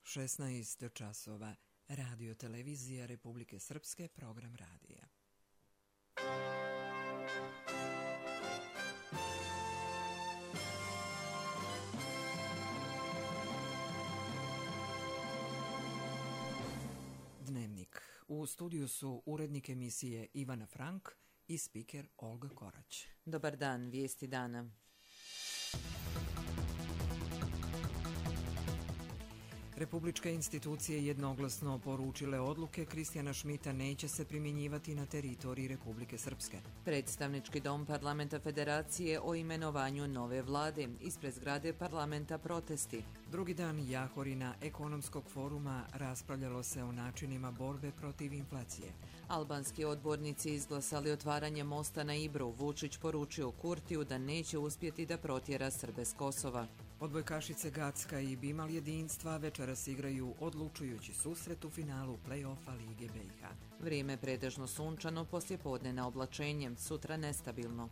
16 časova. Radio televizija Republike Srpske, program radija. Dnevnik. U studiju su urednik emisije Ivana Frank i spiker Olga Korać. Dobar dan, vijesti dana. Republičke institucije jednoglasno poručile odluke Kristijana Šmita neće se primjenjivati na teritoriji Republike Srpske. Predstavnički dom Parlamenta Federacije o imenovanju nove vlade. Ispred zgrade parlamenta protesti. Drugi dan Jahorina ekonomskog foruma raspravljalo se o načinima borbe protiv inflacije. Albanski odbornici izglasali otvaranje mosta na Ibru. Vučić poručio Kurtiju da neće uspjeti da protjera Srbe s Kosova. Odbojkašice Gacka i Bimal jedinstva večeras igraju odlučujući susret u finalu play-offa Lige BiH. Vrijeme pretežno sunčano, poslijepodne na oblačenje, sutra nestabilno.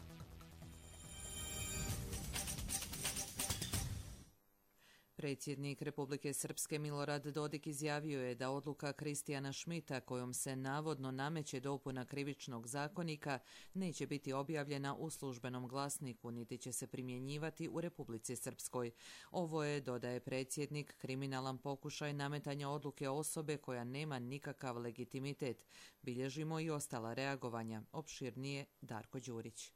Predsjednik Republike Srpske Milorad Dodik izjavio je da odluka Kristijana Šmita kojom se navodno nameće dopuna krivičnog zakonika neće biti objavljena u službenom glasniku niti će se primjenjivati u Republici Srpskoj. Ovo je, dodaje predsjednik, kriminalan pokušaj nametanja odluke osobe koja nema nikakav legitimitet. Bilježimo i ostala reagovanja. Opširnije Darko Đurić.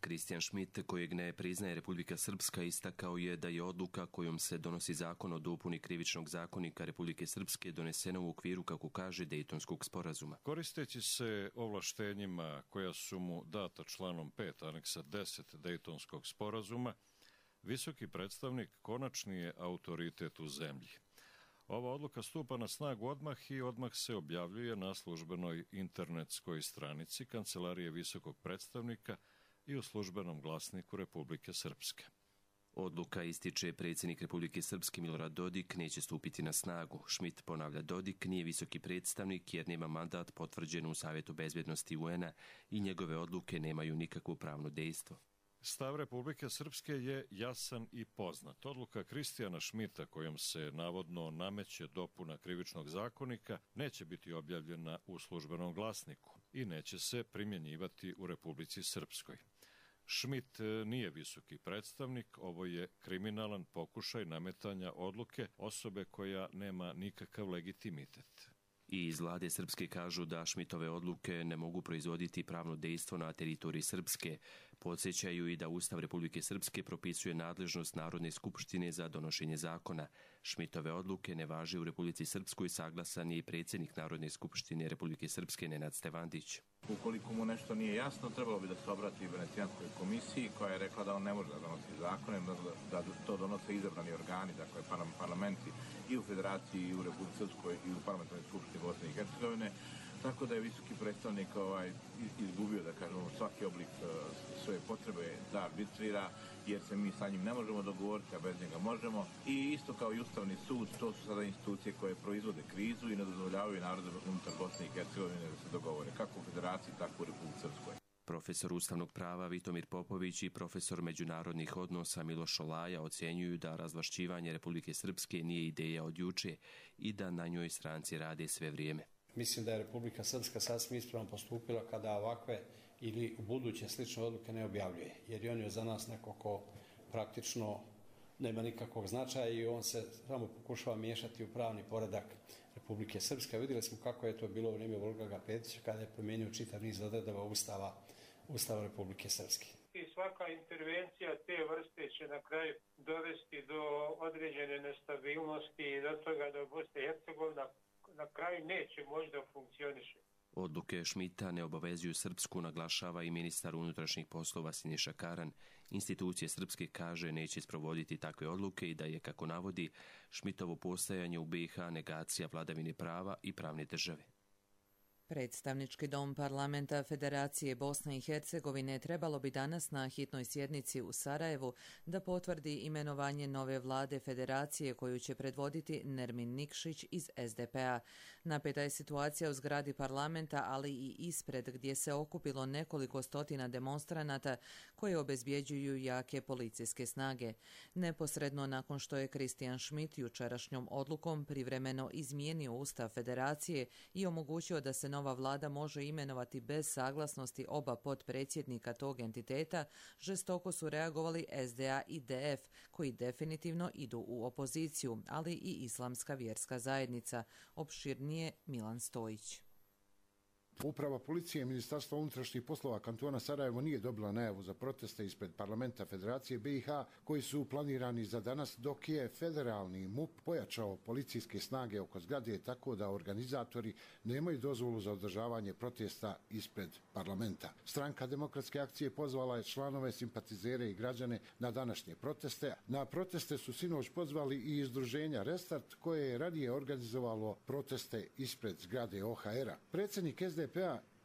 Kristijan Šmit, kojeg ne priznaje Republika Srpska, istakao je da je odluka kojom se donosi zakon o dopuni krivičnog zakonika Republike Srpske donesena u okviru, kako kaže, Dejtonskog sporazuma. Koristeći se ovlaštenjima koja su mu data članom 5 aneksa 10 Dejtonskog sporazuma, visoki predstavnik konačni je autoritet u zemlji. Ova odluka stupa na snagu odmah i odmah se objavljuje na službenoj internetskoj stranici Kancelarije visokog predstavnika i u službenom glasniku Republike Srpske. Odluka, ističe predsjednik Republike Srpske Milorad Dodik, neće stupiti na snagu. Šmit, ponavlja Dodik, nije visoki predstavnik jer nema mandat potvrđen u Savjetu bezbjednosti UN-a i njegove odluke nemaju nikakvo pravno dejstvo. Stav Republike Srpske je jasan i poznat. Odluka Kristijana Šmita kojom se navodno nameće dopuna krivičnog zakonika neće biti objavljena u službenom glasniku i neće se primjenjivati u Republici Srpskoj. Šmit nije visoki predstavnik, ovo je kriminalan pokušaj nametanja odluke osobe koja nema nikakav legitimitet. I iz vlade Srpske kažu da Šmitove odluke ne mogu proizvoditi pravno dejstvo na teritoriji Srpske. Podsjećaju i da Ustav Republike Srpske propisuje nadležnost Narodne skupštine za donošenje zakona. Šmitove odluke ne važe u Republici Srpskoj, saglasan je i predsjednik Narodne skupštine Republike Srpske Nenad Stevandić. Ukoliko mu nešto nije jasno, trebalo bi da se obrati Venecijanskoj komisiji koja je rekla da on ne može da donosi zakone, da to donose izabrani organi, dakle parlamenti i u Federaciji i u Republici Srpskoj i u parlamentarnoj skupštini Bosne i Hercegovine. Tako da je visoki predstavnik izgubio, da kažemo, svaki oblik svoje potrebe da arbitrira, jer se mi sa njim ne možemo dogovoriti, a bez njega možemo. I isto kao i Ustavni sud, to su sada institucije koje proizvode krizu i ne dozvoljavaju narodu unutar Bosne i Hercegovine da se dogovore, kako u Federaciji, tako u Republici Srpskoj. Profesor ustavnog prava Vitomir Popović i profesor međunarodnih odnosa Miloš Olaja ocjenjuju da razvlašćivanje Republike Srpske nije ideja od juče i da na njoj stranci rade sve vrijeme. Mislim da je Republika Srpska sasvim ispravno postupila kada ovakve ili u buduće slične odluke ne objavljuje, jer on je za nas neko ko praktično nema nikakvog značaja i on se samo pokušava miješati u pravni poredak Republike Srpske. Vidjeli smo kako je to bilo u vrijeme Volgara Petića kada je promijenio čitav niz odredaba Ustava Republike Srpske. I svaka intervencija te vrste će na kraju dovesti do određene nestabilnosti i do toga da Bosna i Hercegovina na kraju neće možda funkcioniše. Odluke Šmita ne obavezuju Srpsku, naglašava i ministar unutrašnjih poslova Siniša Karan. Institucije Srpske, kaže, neće sprovoditi takve odluke i da je, kako navodi, Šmitovo postojanje u BiH negacija vladavine prava i pravne države. Predstavnički dom parlamenta Federacije Bosne i Hercegovine trebalo bi danas na hitnoj sjednici u Sarajevu da potvrdi imenovanje nove vlade Federacije koju će predvoditi Nermin Nikšić iz SDP-a. Napeta je situacija u zgradi parlamenta, ali i ispred gdje se okupilo nekoliko stotina demonstranata koje obezbjeđuju jake policijske snage. Neposredno nakon što je Kristijan Schmitt jučerašnjom odlukom privremeno izmijenio Ustav Federacije i omogućio da se nova vlada može imenovati bez saglasnosti oba potpredsjednika tog entiteta, žestoko su reagovali SDA i DF, koji definitivno idu u opoziciju, ali i Islamska vjerska zajednica. Opširnije Milan Stojić. Uprava policije i Ministarstva unutrašnjih poslova kantona Sarajevo nije dobila najavu za proteste ispred parlamenta Federacije BiH koji su planirani za danas, dok je federalni MUP pojačao policijske snage oko zgrade tako da organizatori nemaju dozvolu za održavanje protesta ispred parlamenta. Stranka Demokratske akcije pozvala je članove, simpatizere i građane na današnje proteste. Na proteste su sinoć pozvali i izdruženja Restart koje je ranije organizovalo proteste ispred zgrade OHR-a. Predsjednik SDP-a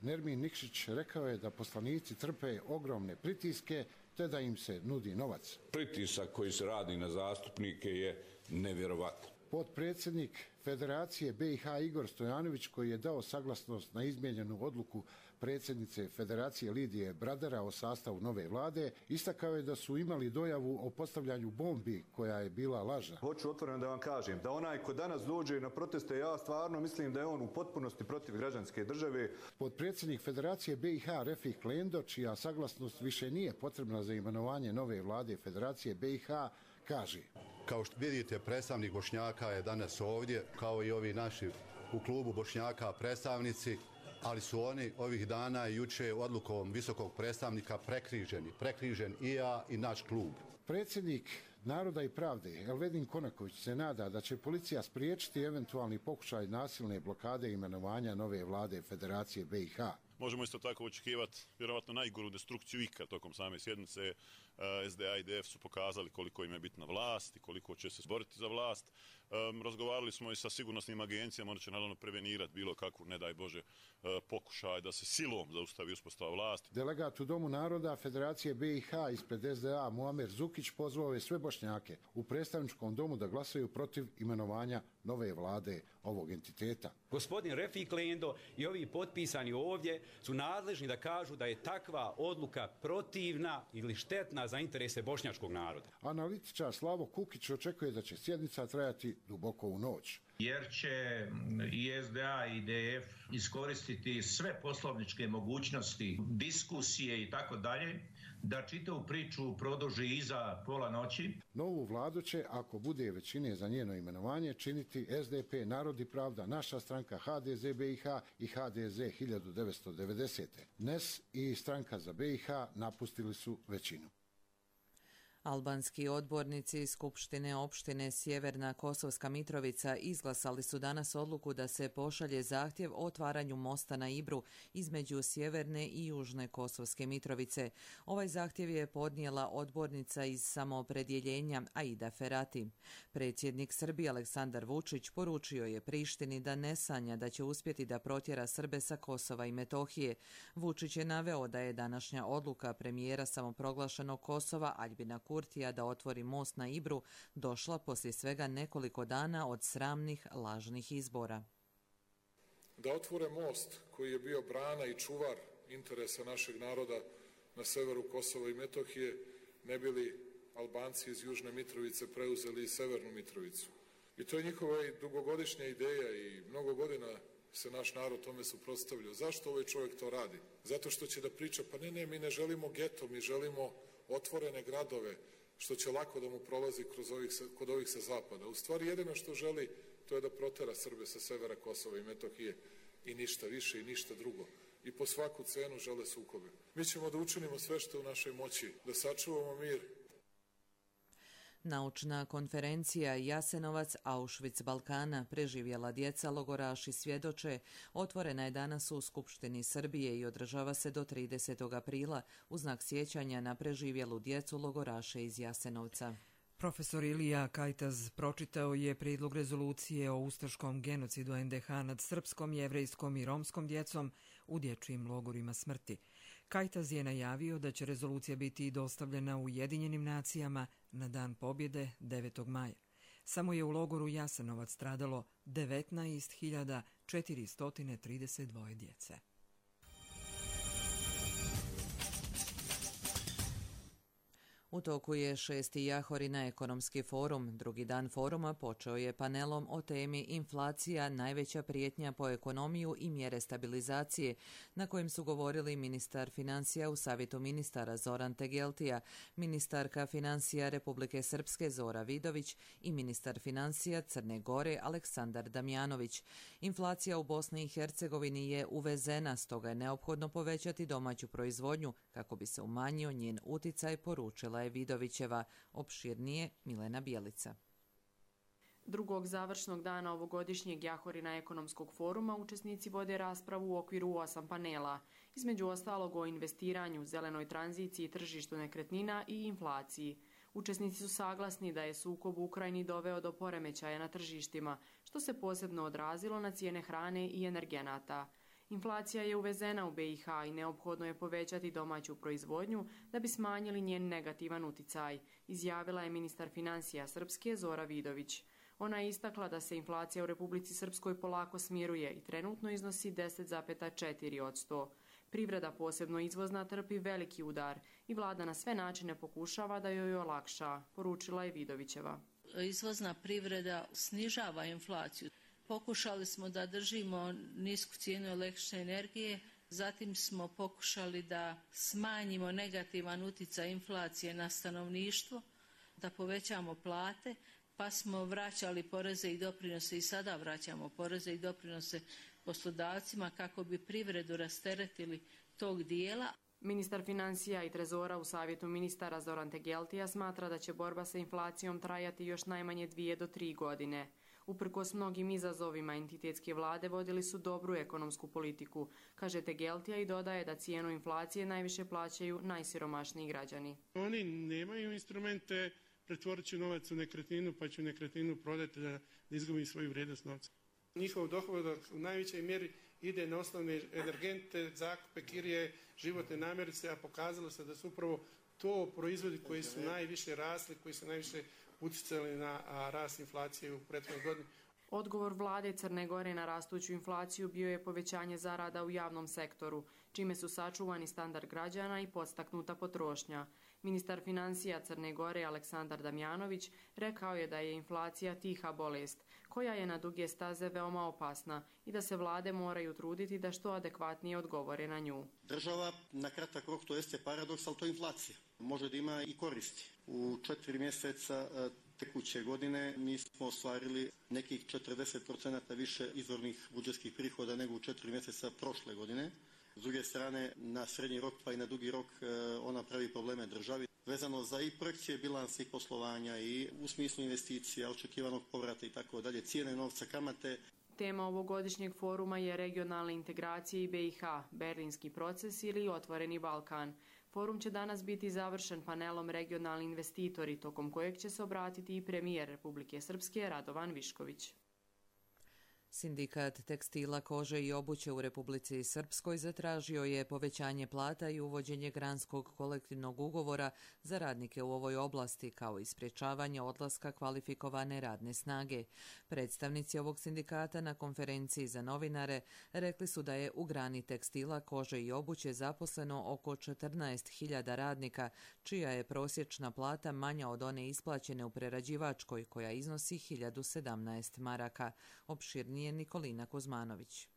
Nermin Nikšić rekao je da poslanici trpe ogromne pritiske te da im se nudi novac. Pritisak koji se radi na zastupnike je nevjerovatan. Potpredsjednik Federacije BiH Igor Stojanović, koji je dao saglasnost na izmijenjenu odluku predsjednice Federacije Lidije Bradera o sastavu nove vlade, istakao je da su imali dojavu o postavljanju bombi koja je bila lažna. Hoću otvoreno da vam kažem da onaj ko danas dođe na proteste, ja stvarno mislim da je on u potpunosti protiv građanske države. Potpredsjednik Federacije BiH Refik Klendo, čija saglasnost više nije potrebna za imenovanje nove vlade Federacije BiH, kaže: Kao što vidite, predstavnik Bošnjaka je danas ovdje, kao i ovi naši u klubu Bošnjaka predstavnici, ali su oni ovih dana i juče odlukom visokog predstavnika prekrižen i ja i naš klub. Predsjednik Naroda i pravde Elvedin Konaković se nada da će policija spriječiti eventualni pokušaj nasilne blokade imenovanja nove vlade Federacije BiH. Možemo isto tako očekivati vjerovatno najgoru destrukciju ikad tokom same sjednice. SDA i DF su pokazali koliko im je bitna vlast i koliko će se boriti za vlast. Razgovarali smo i sa sigurnosnim agencijama, oni će naravno prevenirati bilo kakvu, ne daj Bože, pokušaj da se silom zaustavi uspostava vlasti. Delegat u Domu naroda Federacije BiH ispred SDA Muamer Zukić pozvao je sve Bošnjake u predstavničkom domu da glasaju protiv imenovanja nove vlade ovog entiteta. Gospodin Refik Klendo i ovi potpisani ovdje su nadležni da kažu da je takva odluka protivna ili štetna za interese bošnjačkog naroda. Analitičar Slavo Kukić očekuje da će sjednica trajati duboko u noć. Jer će i SDA i DF iskoristiti sve poslovničke mogućnosti, diskusije i tako dalje, da čitavu priču produži iza pola noći. Novu vladu će, ako bude većine za njeno imenovanje, činiti SDP, Narod i pravda, Naša stranka, HDZ BiH i HDZ 1990. NES i Stranka za BiH napustili su većinu. Albanski odbornici Skupštine opštine Sjeverna Kosovska Mitrovica izglasali su danas odluku da se pošalje zahtjev o otvaranju mosta na Ibru između Sjeverne i Južne Kosovske Mitrovice. Ovaj zahtjev je podnijela odbornica iz Samoopredjeljenja Aida Ferati. Predsjednik Srbije Aleksandar Vučić poručio je Prištini da ne sanja da će uspjeti da protjera Srbe sa Kosova i Metohije. Vučić je naveo da je današnja odluka premijera samoproglašenog Kosova Aljbina Kurtija da otvori most na Ibru došla poslije svega nekoliko dana od sramnih lažnih izbora. Da otvore most koji je bio brana i čuvar interesa našeg naroda na severu Kosova i Metohije, ne bi li Albanci iz Južne Mitrovice preuzeli i Severnu Mitrovicu. I to je njihova i dugogodišnja ideja i mnogo godina se naš narod tome suprotstavljao. Zašto ovaj čovjek to radi? Zato što će da priča, pa ne, mi ne želimo geto, mi želimo otvorene gradove, što će lako da mu prolazi kod ovih sa zapada. U stvari jedino što želi, to je da protera Srbe sa severa Kosova i Metohije i ništa više i ništa drugo. I po svaku cenu žele sukobe. Mi ćemo da učinimo sve što je u našoj moći, da sačuvamo mir. Naučna konferencija Jasenovac, Auschwitz Balkana, preživjela djeca, logoraši svjedoče, otvorena je danas u Skupštini Srbije i održava se do 30. aprila u znak sjećanja na preživjelu djecu logoraše iz Jasenovca. Profesor Ilija Kajtaz pročitao je prijedlog rezolucije o ustaškom genocidu NDH nad srpskom, jevrejskom i romskom djecom u dječjim logorima smrti. Kajtaz je najavio da će rezolucija biti dostavljena Ujedinjenim nacijama na Dan pobjede 9. maja. Samo je u logoru Jasenovac stradalo 19.432 djece. U toku je 6. Jahorina ekonomski forum. Drugi dan foruma počeo je panelom o temi inflacija, najveća prijetnja po ekonomiju i mjere stabilizacije, na kojem su govorili ministar financija u Savjetu ministara Zoran Tegeltija, ministarka financija Republike Srpske Zora Vidović i ministar financija Crne Gore Aleksandar Damjanović. Inflacija u Bosni i Hercegovini je uvezena, stoga je neophodno povećati domaću proizvodnju kako bi se umanjio njen uticaj, poručila je Vidovićeva. Opširnije Milena Bjelica. Drugog završnog dana ovogodišnjeg Jahorina ekonomskog foruma učesnici vode raspravu u okviru 8 panela, između ostalog o investiranju, zelenoj tranziciji, tržištu nekretnina i inflaciji. Učesnici su saglasni da je sukob u Ukrajini doveo do poremećaja na tržištima, što se posebno odrazilo na cijene hrane i energenata. Inflacija je uvezena u BiH i neophodno je povećati domaću proizvodnju da bi smanjili njen negativan uticaj, izjavila je ministar financija Srpske Zora Vidović. Ona je istakla da se inflacija u Republici Srpskoj polako smiruje i trenutno iznosi 10,4%. Privreda, posebno izvozna, trpi veliki udar i vlada na sve načine pokušava da joj olakša, poručila je Vidovićeva. Izvozna privreda snižava inflaciju. Pokušali smo da držimo nisku cijenu električne energije, zatim smo pokušali da smanjimo negativan utjecaj inflacije na stanovništvo, da povećamo plate, pa smo vraćali poreze i doprinose i sada vraćamo poreze i doprinose poslodavcima kako bi privredu rasteretili tog dijela. Ministar financija i trezora u Savjetu ministara Zoran Tegeltija smatra da će borba sa inflacijom trajati još najmanje 2 do 3 godine. Uprkos mnogim izazovima, entitetske vlade vodili su dobru ekonomsku politiku, kaže Tegeltija i dodaje da cijenu inflacije najviše plaćaju najsiromašniji građani. Oni nemaju instrumente, pretvorit će novac u nekretninu pa će nekretninu prodati da izgubi svoju vrijednost novca. Njihov dohodak u najvećoj mjeri ide na osnovne energente, zakupe, kirije, životne namirnice, a pokazalo se da su upravo to proizvodi koji su najviše rasli, koji su najviše utjecali na rast inflacije u prethodnoj godini. Odgovor vlade Crne Gore na rastuću inflaciju bio je povećanje zarada u javnom sektoru, čime su sačuvani standard građana i podstaknuta potrošnja. Ministar financija Crne Gore Aleksandar Damjanović rekao je da je inflacija tiha bolest, koja je na duge staze veoma opasna i da se vlade moraju truditi da što adekvatnije odgovore na nju. Država na kratak rok, to jeste paradoks, ali to je inflacija. Može da ima i koristi. U 4 mjeseca tekuće godine mi smo ostvarili nekih 40% više izvornih budžetskih prihoda nego u 4 mjeseca prošle godine. S druge strane, na srednji rok pa i na dugi rok ona pravi probleme državi. Vezano za i projekcije bilansa i poslovanja i u smislu investicija, očekivanog povrata i tako dalje, cijene novca, kamate. Tema ovogodišnjeg foruma je regionalne integracije i BiH, Berlinski proces ili Otvoreni Balkan. Forum će danas biti završen panelom regionalni investitori, tokom kojeg će se obratiti i premijer Republike Srpske Radovan Višković. Sindikat tekstila, kože i obuće u Republici Srpskoj zatražio je povećanje plata i uvođenje granskog kolektivnog ugovora za radnike u ovoj oblasti, kao i sprječavanje odlaska kvalifikovane radne snage. Predstavnici ovog sindikata na konferenciji za novinare rekli su da je u grani tekstila, kože i obuće zaposleno oko 14.000 radnika, čija je prosječna plata manja od one isplaćene u prerađivačkoj, koja iznosi 1017 maraka. Opširnije Nikolina Kuzmanović.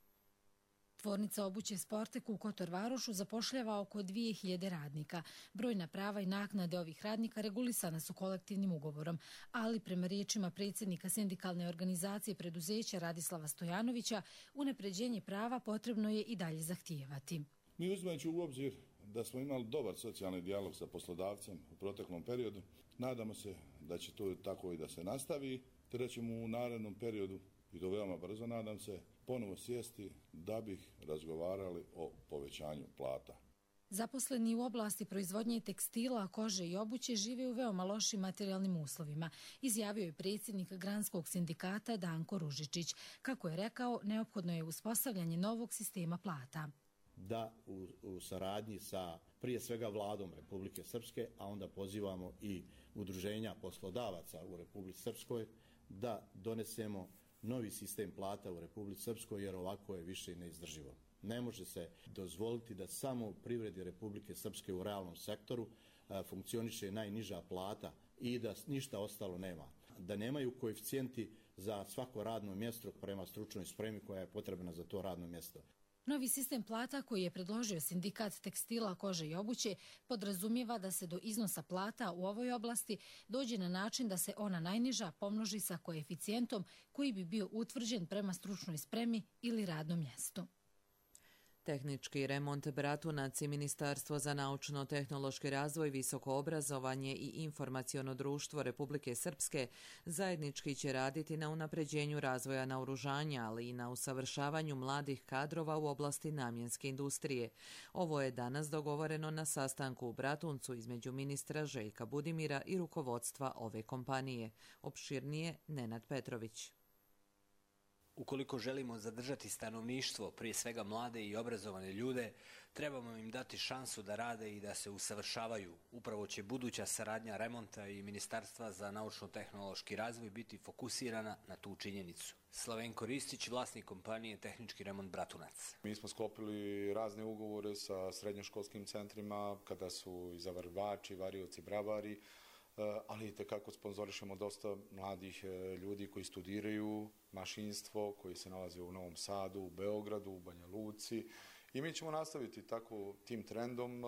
Tvornica obuće Sportek u Kotor Varošu zapošljava oko 2000 radnika. Brojna prava i naknade ovih radnika regulisana su kolektivnim ugovorom, ali prema riječima predsjednika sindikalne organizacije preduzeća Radislava Stojanovića, unapređenje prava potrebno je i dalje zahtijevati. Mi uzimajući u obzir da smo imali dobar socijalni dijalog sa poslodavcem u proteklom periodu, nadamo se da će to tako i da se nastavi, te da ćemo u narednom periodu, i to veoma brzo nadam se, ponovo sjesti da bih razgovarali o povećanju plata. Zaposleni u oblasti proizvodnje tekstila, kože i obuće žive u veoma lošim materijalnim uslovima, izjavio je predsjednik Granskog sindikata Danko Ružičić. Kako je rekao, neophodno je uspostavljanje novog sistema plata. Da u saradnji sa prije svega vladom Republike Srpske, a onda pozivamo i udruženja poslodavaca u Republici Srpskoj, da donesemo novi sistem plata u Republici Srpskoj, jer ovako je više neizdrživo. Ne može se dozvoliti da samo u privredi Republike Srpske u realnom sektoru funkcioniše najniža plata i da ništa ostalo nema. Da nemaju koeficijenti za svako radno mjesto prema stručnoj spremi koja je potrebna za to radno mjesto. Novi sistem plata koji je predložio sindikat tekstila, kože i obuće podrazumijeva da se do iznosa plata u ovoj oblasti dođe na način da se ona najniža pomnoži sa koeficijentom koji bi bio utvrđen prema stručnoj spremi ili radnom mjestu. Tehnički remont Bratunac i Ministarstvo za naučno-tehnološki razvoj, visoko obrazovanje i informaciono društvo Republike Srpske zajednički će raditi na unapređenju razvoja naoružanja, ali i na usavršavanju mladih kadrova u oblasti namjenske industrije. Ovo je danas dogovoreno na sastanku u Bratuncu između ministra Željka Budimira i rukovodstva ove kompanije. Opširnije Nenad Petrović. Ukoliko želimo zadržati stanovništvo, prije svega mlade i obrazovane ljude, trebamo im dati šansu da rade i da se usavršavaju. Upravo će buduća saradnja remonta i Ministarstva za naučno-tehnološki razvoj biti fokusirana na tu činjenicu. Slavenko Ristić, vlasnik kompanije Tehnički remont Bratunac. Mi smo sklopili razne ugovore sa srednjoškolskim centrima, kada su i zavarvači, varioci, bravari, ali i tekako sponzorišemo dosta mladih ljudi koji studiraju mašinstvo, koji se nalaze u Novom Sadu, u Beogradu, u Banja Luci. I mi ćemo nastaviti tako tim trendom.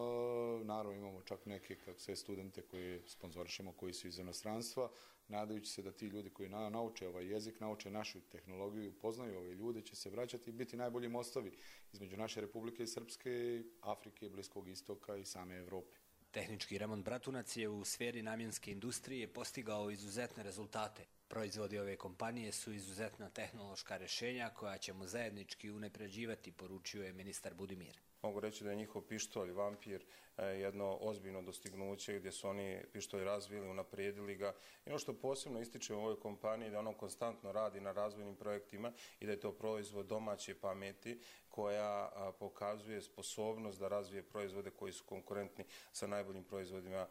Naravno imamo čak neke studente koje sponzorišemo, koji su iz inostranstva, nadajući se da ti ljudi koji nauče ovaj jezik, nauče našu tehnologiju, poznaju ove ljude, će se vraćati i biti najbolji mostovi između naše Republike Srpske, Afrike, Bliskog istoka i same Evrope. Tehnički remont Bratunac je u sferi namjenske industrije postigao izuzetne rezultate. Proizvodi ove kompanije su izuzetna tehnološka rješenja koja ćemo zajednički unapređivati, poručio je ministar Budimir. Mogu reći da je njihov pištolj Vampir jedno ozbiljno dostignuće gdje su oni pištolj razvili, unaprijedili ga. I ono što posebno ističe u ovoj kompaniji da ono konstantno radi na razvojnim projektima i da je to proizvod domaće pameti koja pokazuje sposobnost da razvije proizvode koji su konkurentni sa najboljim proizvodima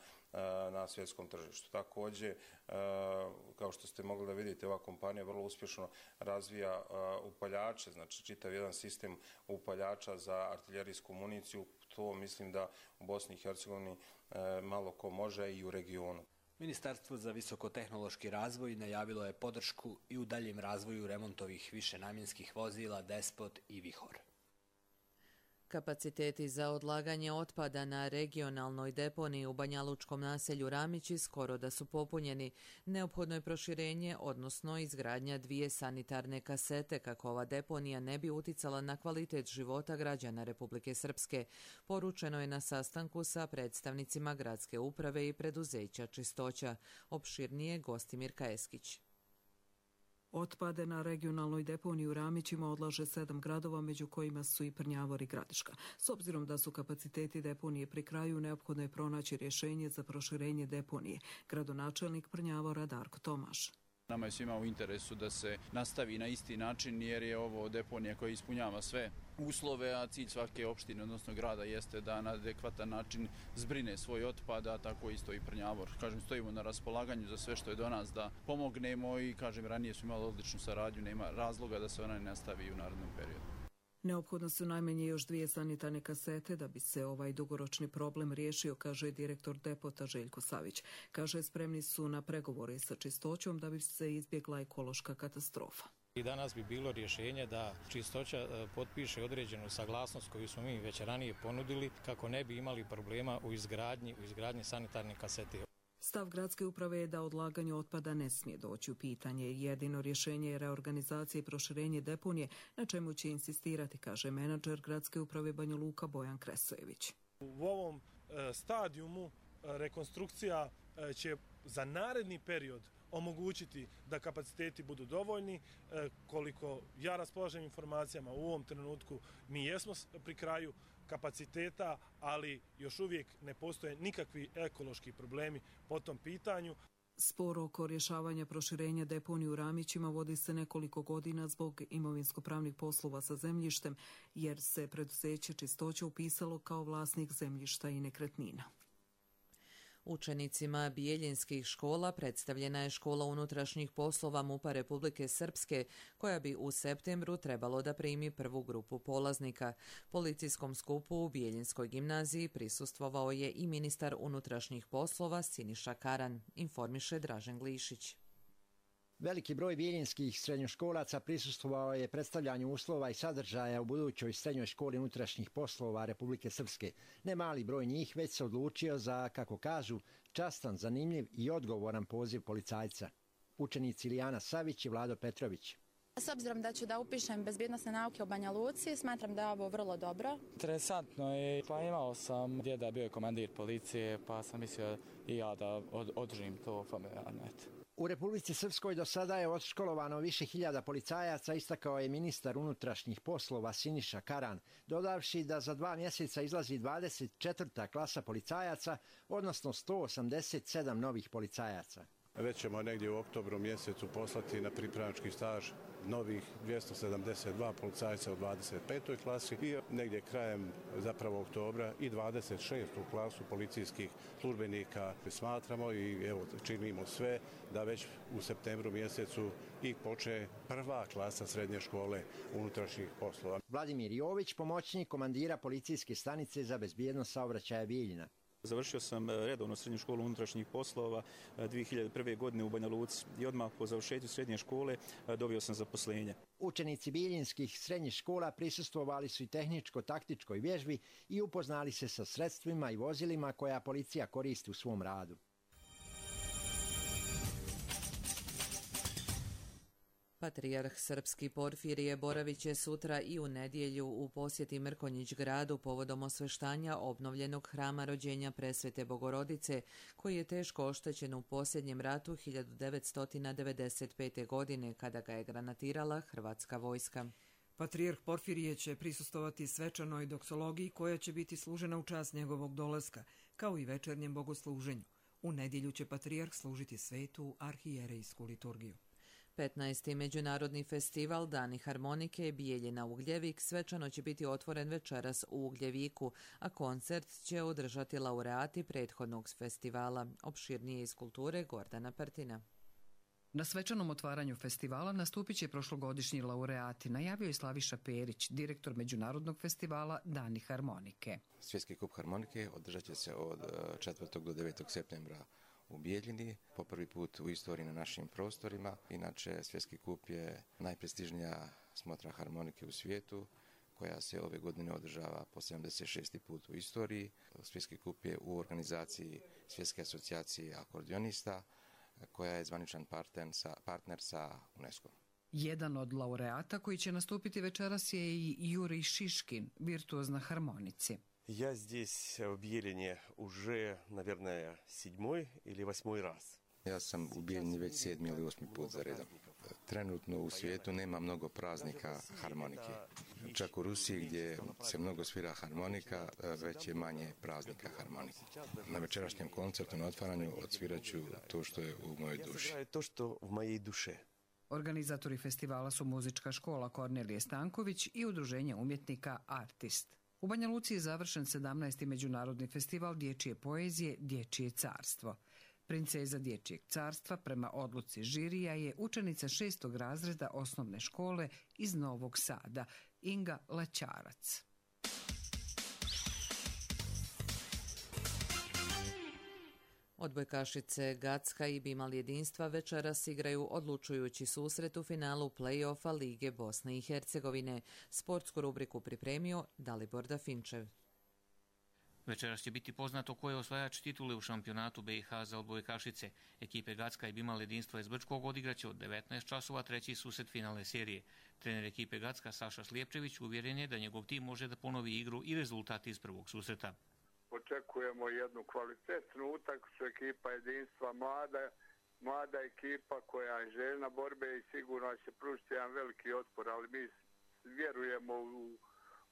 na svjetskom tržištu. Također, kao što ste mogli da vidite, ova kompanija vrlo uspješno razvija upaljače, znači čitav jedan sistem upaljača za artiljerijsku municiju. To mislim da u Bosni i Hercegovini malo ko može i u regionu. Ministarstvo za visokotehnološki razvoj najavilo je podršku i u daljem razvoju remontovih višenamjenskih vozila Despot i Vihor. Kapaciteti za odlaganje otpada na regionalnoj deponiji u banjalučkom naselju Ramići skoro da su popunjeni. Neophodno je proširenje, odnosno izgradnja 2 sanitarne kasete kako ova deponija ne bi uticala na kvalitet života građana Republike Srpske. Poručeno je na sastanku sa predstavnicima gradske uprave i preduzeća Čistoća. Opširnije Gostimir Kajeskić. Otpade na regionalnoj deponiji u Ramićima odlaže 7 gradova, među kojima su i Prnjavor i Gradiška. S obzirom da su kapaciteti deponije pri kraju, neophodno je pronaći rješenje za proširenje deponije. Gradonačelnik Prnjavora Darko Tomaš. Nama je svima u interesu da se nastavi na isti način jer je ovo deponija koja ispunjava sve uslove, a cilj svake opštine, odnosno grada, jeste da na adekvatan način zbrine svoj otpad, a tako isto i Prnjavor. Kažem, stojimo na raspolaganju za sve što je do nas da pomognemo i kažem, ranije su imali odličnu saradnju, nema razloga da se ona ne nastavi u narednom periodu. Neophodno su najmanje još 2 sanitarne kasete da bi se ovaj dugoročni problem riješio, kaže direktor depota Željko Savić. Kaže, spremni su na pregovore sa Čistoćom da bi se izbjegla ekološka katastrofa. I danas bi bilo rješenje da Čistoća potpiše određenu saglasnost koju smo mi već ranije ponudili kako ne bi imali problema u izgradnji sanitarne kasete. Stav gradske uprave je da odlaganje otpada ne smije doći u pitanje. Jedino rješenje je reorganizacija i proširenje deponije, na čemu će insistirati, kaže menadžer gradske uprave Banja Luka Bojan Kresojević. U ovom stadijumu rekonstrukcija će za naredni period omogućiti da kapaciteti budu dovoljni. Koliko ja raspolažem informacijama u ovom trenutku, mi jesmo pri kraju kapaciteta, ali još uvijek ne postoje nikakvi ekološki problemi po tom pitanju. Spor oko rješavanja proširenja deponije u Ramićima vodi se nekoliko godina zbog imovinsko-pravnih poslova sa zemljištem, jer se preduzeće Čistoća upisalo kao vlasnik zemljišta i nekretnina. Učenicima bijeljinskih škola predstavljena je škola unutrašnjih poslova MUP-a Republike Srpske, koja bi u septembru trebalo da primi prvu grupu polaznika. Policijskom skupu u Bijeljinskoj gimnaziji prisustvovao je i ministar unutrašnjih poslova Siniša Karan, informiše Dražen Glišić. Veliki broj bijeljinskih srednjoškolaca prisustvovao je predstavljanju uslova i sadržaja u budućoj srednjoj školi unutrašnjih poslova Republike Srpske. Ne mali broj njih već se odlučio za, kako kažu, častan, zanimljiv i odgovoran poziv policajca. Učenici Ilijana Savić i Vlado Petrović. S obzirom da ću da upišem bezbjednosne nauke u Banja Luci, smatram da je ovo vrlo dobro. Interesantno je, pa imao sam djeda, bio je komandir policije, pa sam mislio i ja da održim to familijarno. U Republici Srpskoj do sada je odškolovano više hiljada policajaca, istakao je ministar unutrašnjih poslova Siniša Karan, dodavši da za 2 mjeseca izlazi 24. klasa policajaca, odnosno 187 novih policajaca. Već ćemo negdje u oktobru mjesecu poslati na pripravnički staž novih 272 policajca u 25. klasi i negdje krajem zapravo oktobra i 26. klasu policijskih službenika. Smatramo i evo činimo sve da već u septembru mjesecu i počne prva klasa srednje škole unutrašnjih poslova. Vladimir Jović, pomoćnik komandira policijske stanice za bezbjednost saobraćaja Bijeljina. Završio sam redovno srednju školu unutrašnjih poslova 2001. godine u Banja Luci i odmah po završetku srednje škole dobio sam zaposlenje. Učenici bijeljinskih srednjih škola prisustvovali su i tehničko-taktičkoj vježbi i upoznali se sa sredstvima i vozilima koja policija koristi u svom radu. Patrijarh srpski Porfirije boravit će sutra i u nedjelju u posjeti Mrkonjić gradu povodom osveštanja obnovljenog hrama rođenja Presvete Bogorodice, koji je teško oštećen u posljednjem ratu 1995. godine kada ga je granatirala hrvatska vojska. Patrijarh Porfirije će prisustovati svečanoj doksologiji koja će biti služena u čast njegovog dolaska, kao i večernjem bogosluženju. U nedjelju će patrijarh služiti svetu arhijerejsku liturgiju. 15. međunarodni festival Dani harmonike Bijeljina Ugljevik svečano će biti otvoren večeras u Ugljeviku, a koncert će održati laureati prethodnog festivala. Opširnije iz kulture Gordana Partina. Na svečanom otvaranju festivala nastupit će prošlogodišnji laureati, najavio je Slaviša Perić, direktor međunarodnog festivala Dani harmonike. Svjetski kup harmonike održat će se od 4. do 9. septembra u Bijeljini, po prvi put u istoriji na našim prostorima. Inače, Svjetski kup je najprestižnija smotra harmonike u svijetu, koja se ove godine održava po 76. put u istoriji. Svjetski kup je u organizaciji Svjetske asocijacije akordionista, koja je zvaničan partner sa UNESCO-om. Jedan od laureata koji će nastupiti večeras je i Jurij Šiškin, virtuoz na harmonici. Я здесь в Биелине уже, наверное, 7. или 8. раз. Ja sam u Bijeljini već 7. ili 8. put za redom. Trenutno u svijetu nema mnogo praznika harmonike. Čak u Rusiji gdje se mnogo svira harmonika, već je manje praznika harmonike. Na večerašnjem koncertu na otvaranju odsvirat ću to što je u mojoj duši. To što u mojej duše. Organizatori festivala su muzička škola Kornelije Stanković i udruženje umjetnika Artist. U Banja Luci je završen 17. međunarodni festival dječje poezije Dječje carstvo. Princeza Dječjeg carstva prema odluci žirija je učenica 6. razreda osnovne škole iz Novog Sada, Inga Laćarac. Odbojkašice Gacka i Bimal jedinstva večeras igraju odlučujući susret u finalu play-offa Lige Bosne i Hercegovine. Sportsku rubriku pripremio Dalibor Dafinčev. Večeras će biti poznato ko je osvajač titule u šampionatu BiH za odbojkašice. Ekipe Gacka i Bimal jedinstva iz Brčkog odigraće od 19 časova treći susret finalne serije. Trener ekipe Gacka Saša Slijepčević uvjeren je da njegov tim može da ponovi igru i rezultat iz prvog susreta. Očekujemo jednu kvalitetnu utakmicu, ekipa jedinstva mlada mlada ekipa koja je željna borbe i sigurno će pružiti jedan veliki otpor, ali mi vjerujemo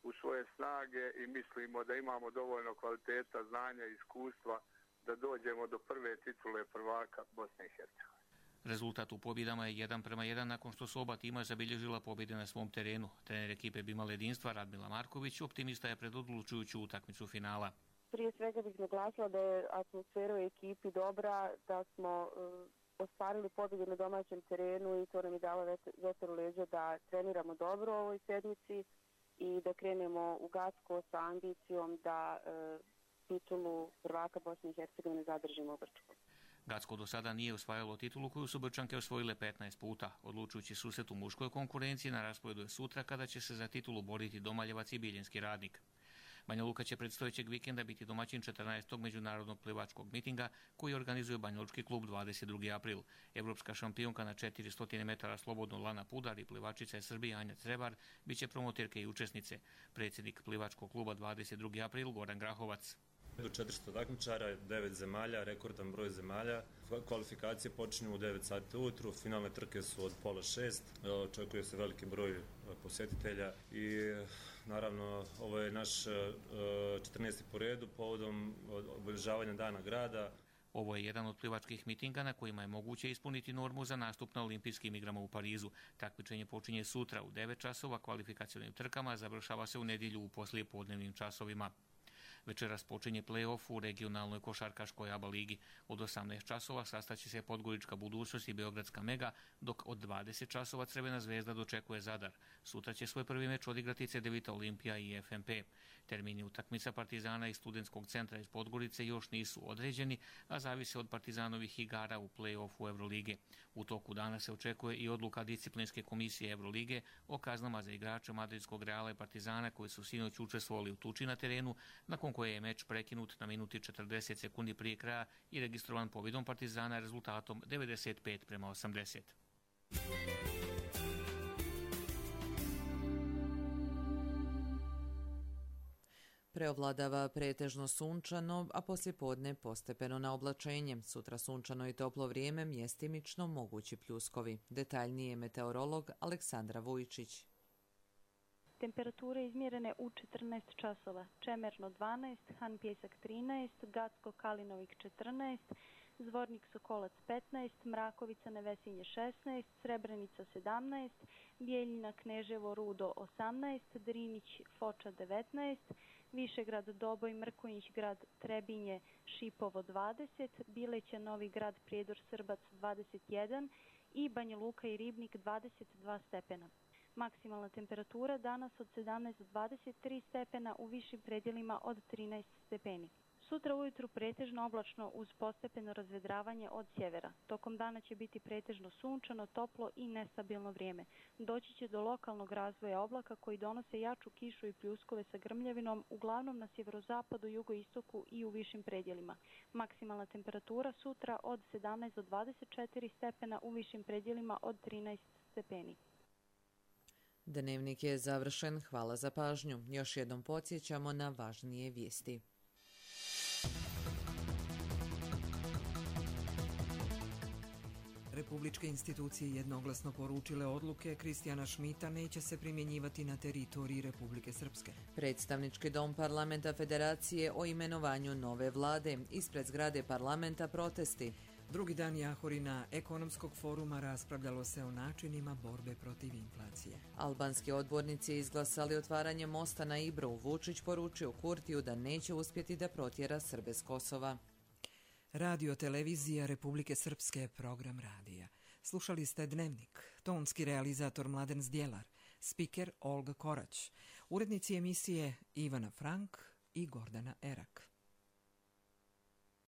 u svoje snage i mislimo da imamo dovoljno kvaliteta, znanja i iskustva da dođemo do prve titule prvaka Bosne i Hercegovine. Rezultat u pobjedama je 1:1 nakon što su oba tima zabilježila pobjede na svom terenu. Trener ekipe Bimal jedinstva Radmila Marković optimista je pred odlučujuću utakmicu finala. Prije svega bih naglasila da je atmosfera u ekipi dobra, da smo ostvarili pobjedu na domaćem terenu i to nam je dalo vetar u leđa da treniramo dobro u ovoj sedmici i da krenemo u Gacko sa ambicijom da titulu prvaka Bosne i Hercegovine zadržimo u Brčkom. Gacko do sada nije osvajalo titulu koju su Brčanke osvojile 15 puta. Odlučujući susret u muškoj konkurenciji na rasporedu je sutra kada će se za titulu boriti Domaljevac i Biljenski Radnik. Banja Luka će predstojećeg vikenda biti domaćin 14. međunarodnog plivačkog mitinga koji organizuje Banjalučki klub 22. april. Evropska šampionka na 400 metara slobodno Lana Pudar i plivačica iz Srbije Anja Crebar bit će promoterke i učesnice. Predsjednik plivačkog kluba 22. april Goran Grahovac. Do 400 takmičara, 9 zemalja, rekordan broj zemalja. Kvalifikacije počinju u 9 sati ujutru, finalne trke su od 5:30. Očekuje se veliki broj posjetitelja i naravno ovo je naš 14. po redu povodom obilježavanja Dana grada. Ovo je jedan od plivačkih mitinga na kojima je moguće ispuniti normu za nastup na olimpijskim igrama u Parizu. Takmičenje počinje sutra u 9 časova, kvalifikacionim trkama završava se u nedjelju u poslijepodnevnim časovima. Večeras počinje play-off u regionalnoj košarkaškoj ABA ligi. Od 18 časova sastaće se Podgorička budućnost i Beogradska Mega, dok od 20 časova Crvena zvezda dočekuje Zadar. Sutra će svoj prvi meč odigrati Cedevita Olimpija i FNP. Termini utakmica Partizana i Studentskog centra iz Podgorice još nisu određeni, a zavise od Partizanovih igara u play-offu Evrolige. U toku dana se očekuje i odluka disciplinske komisije Evrolige o kaznama za igrače Madridskog Reala i Partizana koji su sinoć učestvovali u tuči na terenu, nakon koje je meč prekinut na minuti 40 sekundi prije kraja i registrovan pobjedom Partizana rezultatom 95:80. Preovladava pretežno sunčano, a poslijepodne postepeno na oblačenje. Sutra sunčano i toplo vrijeme, mjestimično mogući pljuskovi. Detaljnije meteorolog Aleksandra Vujčić. Temperature izmjerene u 14 časova. Čemerno 12, Han Pjesak 13, Gacko Kalinovik 14, Zvornik Sokolac 15, Mrakovica Nevesinje 16, Srebrenica 17, Bijeljina Kneževo Rudo 18, Drinić Foča 19, Višegrad Doboj Mrkonjić Grad Trebinje Šipovo 20, Bileća Novi Grad Prijedor Srbac 21 i Banja Luka i Ribnik 22 stepena. Maksimalna temperatura danas od 17 do 23 stepena, u višim predjelima od 13 stepeni. Sutra ujutru pretežno oblačno uz postepeno razvedravanje od sjevera. Tokom dana će biti pretežno sunčano, toplo i nestabilno vrijeme. Doći će do lokalnog razvoja oblaka koji donose jaču kišu i pljuskove sa grmljavinom, uglavnom na sjeverozapadu, jugoistoku i u višim predjelima. Maksimalna temperatura sutra od 17 do 24 stepena, u višim predjelima od 13 stepeni. Dnevnik je završen. Hvala za pažnju. Još jednom podsjećamo na važnije vijesti. Republičke institucije jednoglasno poručile odluke Kristijana Šmita neće se primjenjivati na teritoriji Republike Srpske. Predstavnički dom parlamenta Federacije o imenovanju nove vlade. Ispred zgrade parlamenta protesti. Drugi dan Jahorina ekonomskog foruma raspravljalo se o načinima borbe protiv inflacije. Albanski odbornici izglasali otvaranje mosta na Ibru. Vučić poručio Kurtiju da neće uspjeti da protjera Srbe s Kosova. Radio televizija Republike Srpske, program radija. Slušali ste Dnevnik, tonski realizator Mladen Zdjelar, spiker Olga Korać, urednici emisije Ivana Frank i Gordana Erak.